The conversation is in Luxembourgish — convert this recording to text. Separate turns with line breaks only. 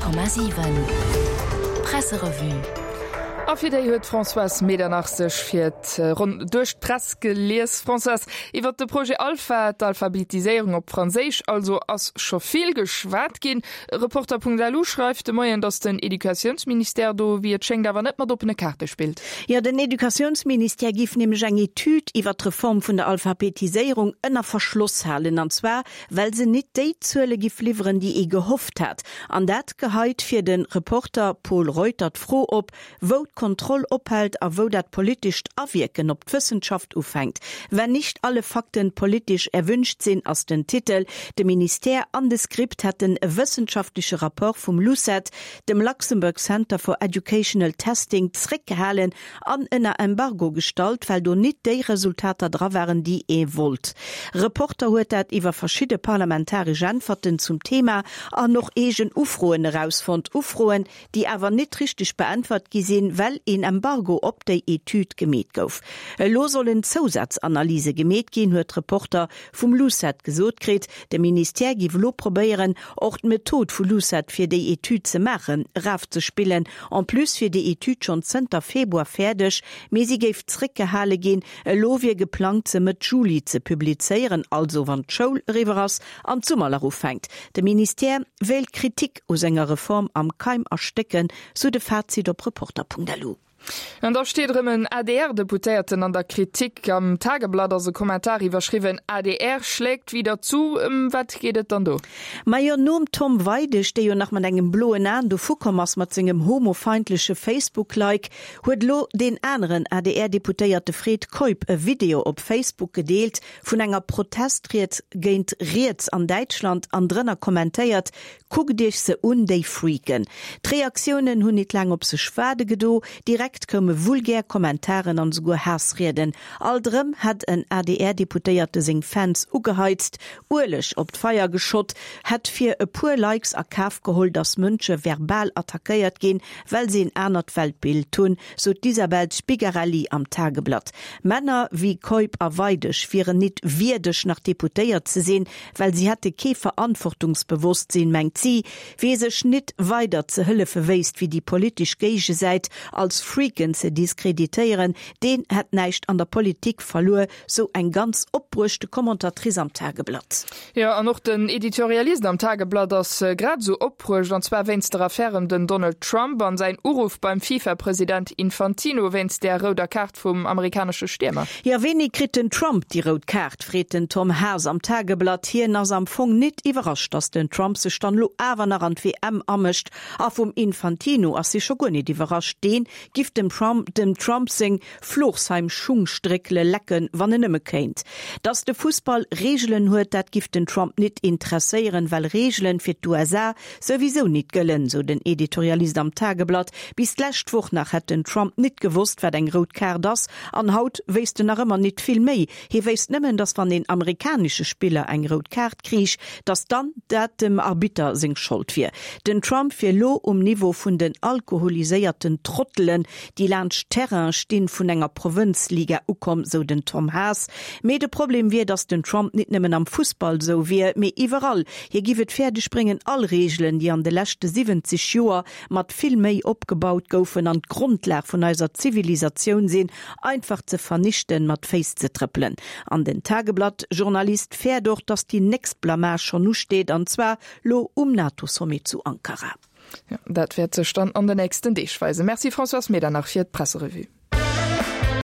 100,7 Presserevue.
A fir déi huet d'Françoise Medernach sech fir d'Ronn duerch d'Press gelies. Françoise, iwwert de Projet Alpha, d'Alphabetiséierung op Franséisch also, ass scho vill geschwat ginn. Reporter.lu schreift de Moien, datt den Educatiounsministère do, wéi et schéngt, awer net mat oppene Kaarte spillt.
Jo, den Educatiounsministère giff nämlech eng Etüd iwwert d'Reform vun der Alphabetiséierung ënner Verschloss halen, an zwar well se nit déi Zuele giff liwweren, déi ee gehofft hat. An dat geheit fir de Reporter Pol Reuter d'Fro op, wou d'Kontroll ophält a wou dat politescht Awierken op d'Wëssenschaft ufänkt. Wenn nicht alle Fakten politisch erwünscht sind, ass den Titel. De Ministère an de Script hätten e wëssenschaftleche Rapport vum LUCET, dem Luxembourg Center for Educational Testing, zréckgehalen an ënner Embargo gestallt, well do nit déi Resultater dra waren, déi ee wollt. Reporter huet dat iwwer verschidde parlamentaresch Äntwerten zum Thema an och eegen Ufroen erausfonnt. Ufroen, déi awer nit richteg beäntwert gi sinn, well een Embargo op déi Etüd gemeet gouf. Elo sollen Zousazanalyse gemeet ginn, huet Reporter vum LUCET gesot kritt. De Ministère giff elo probéieren, och d'Method vu LUCET fir déi Etüd ze maachen, erafzespillen. En plus wier déi Etüd schonn zënter Februar fäerdeg, mee si géif zréckgehale ginn. Elo wier geplangt, se Mëtt Juli ze publizéieren, also wann d'Schoul eriwwer ass an d'Summerlach ufänkt. De Ministère wéilt d'Kritik u senger Reform am Keim erstécken, sou de Fazit op Reporter.lu.
An da steet erëm en ADR-Deputéierten an der Kritik. Am Tageblatt ass e Kommentar iwwerschriwwen, adr schlägt wieder zu. Ëm wat geet et dann do?
Majo, nom Tom Weidig, dee jo nach mat engem bloen Aen dovukomm ass mat sengem homofeindleche Facebook-Like, huet elo deen aneren ADR-Deputéierte Fred Keup e Video op Facebook gedeelt vun enger Protestried géint Riets an Däitschland an drënner kommentéiert, Kuckt iech se un, déi Freaken! D'Reaktiounen hunn nit laang op sech waarde gedo, direkt koume vulgär Kommentaren an esouguer Haassrieden. Alt erëm hätt en ADR-Deputéierte seng Fans ugeheizt, Ueleg op d'Feier geschott, hätt fir e puer Likes a Kaf geholl, datt Mënsche verbal attackéiert ginn, well se en anert Weltbild hunn, sou d'Isabel Spigarelli am Tageblatt. Männer wéi Keup a Weidig wieren nit wierdeg nach Deputéiert ze sinn, well si hätte kee Verantwortungsbewosstsinn, mengt si. Wee sech nit weider ze hëllefe wéisst, wéi déi politesch Géigesäit als Freaken ze diskreditéieren, deen hätt näischt an der Politik verluer, sou eng ganz opbruechte Commentatrice am Tageblatt.
Jo, an och den Editorialist am Tageblatt ass grad esou opbruecht, an zwar wéinst der Affär ëm den Donald Trump an säin Uruff beim FIFA-President Infantino wéinst där rouder Kaart vum amerikanesche Stiermer.
Jo, wéini kritt den Trump déi rout Kaart? freet den Tom Haas am Tageblatt. Hien ass am Fong nit iwwerrascht, datt den Trump sech dann elo awer nach an d'WM amëscht. A vum Infantino ass hie scho guer nit iwwerrascht. Deen giff dem Trump dem Trump seng Florsheim-Schungstréckele lecken, wann en nëmme kéint. Datt de Fussball Reegelen huet, dat giff den Trump nit interesséieren, well Reegelen fir d'USA souwisou nit gëllen, sou den Editorialist am Tageblatt. Bis d'lescht Woch nach hätt den Trump nit gewosst, wat eng rout Kaart ass, an haut wéisst en nach ëmmer nit vill méi. Hie wéisst nëmmen, datt wann een amerikanesche Spiller eng rout Kaart kriich, datt dann dat dem Arbitter seng Schold wier. Den Trump wier lo um Niveau vun den alkoholiséierten Trottelen, déi laanscht Terraine stinn, vun enger Provënzliga ukomm, sou den Tom Haas. Mee de Problem wier, datt den Trump nit nëmmen am Fussball sou wier, mee iwwerall. Hie giff et fäerdeg bréngen, all Reegelen, déi an de leschte 70 Joer mat vill Méi opgebaut goufen an d'Grondlag vun eiser Zivilisatioun sinn, einfach ze vernichten, mat Féiss ze trëppelen. An den Tageblatt-Journalist fäert och, datt déi nächst Blamage schonn usteet, an zwar lo um NATO-Sommet zu Ankara.
Jo, dat wäert sech dann an de nächsten Deeg weisen. Merci Françoise Medernach fir d'Presserevue.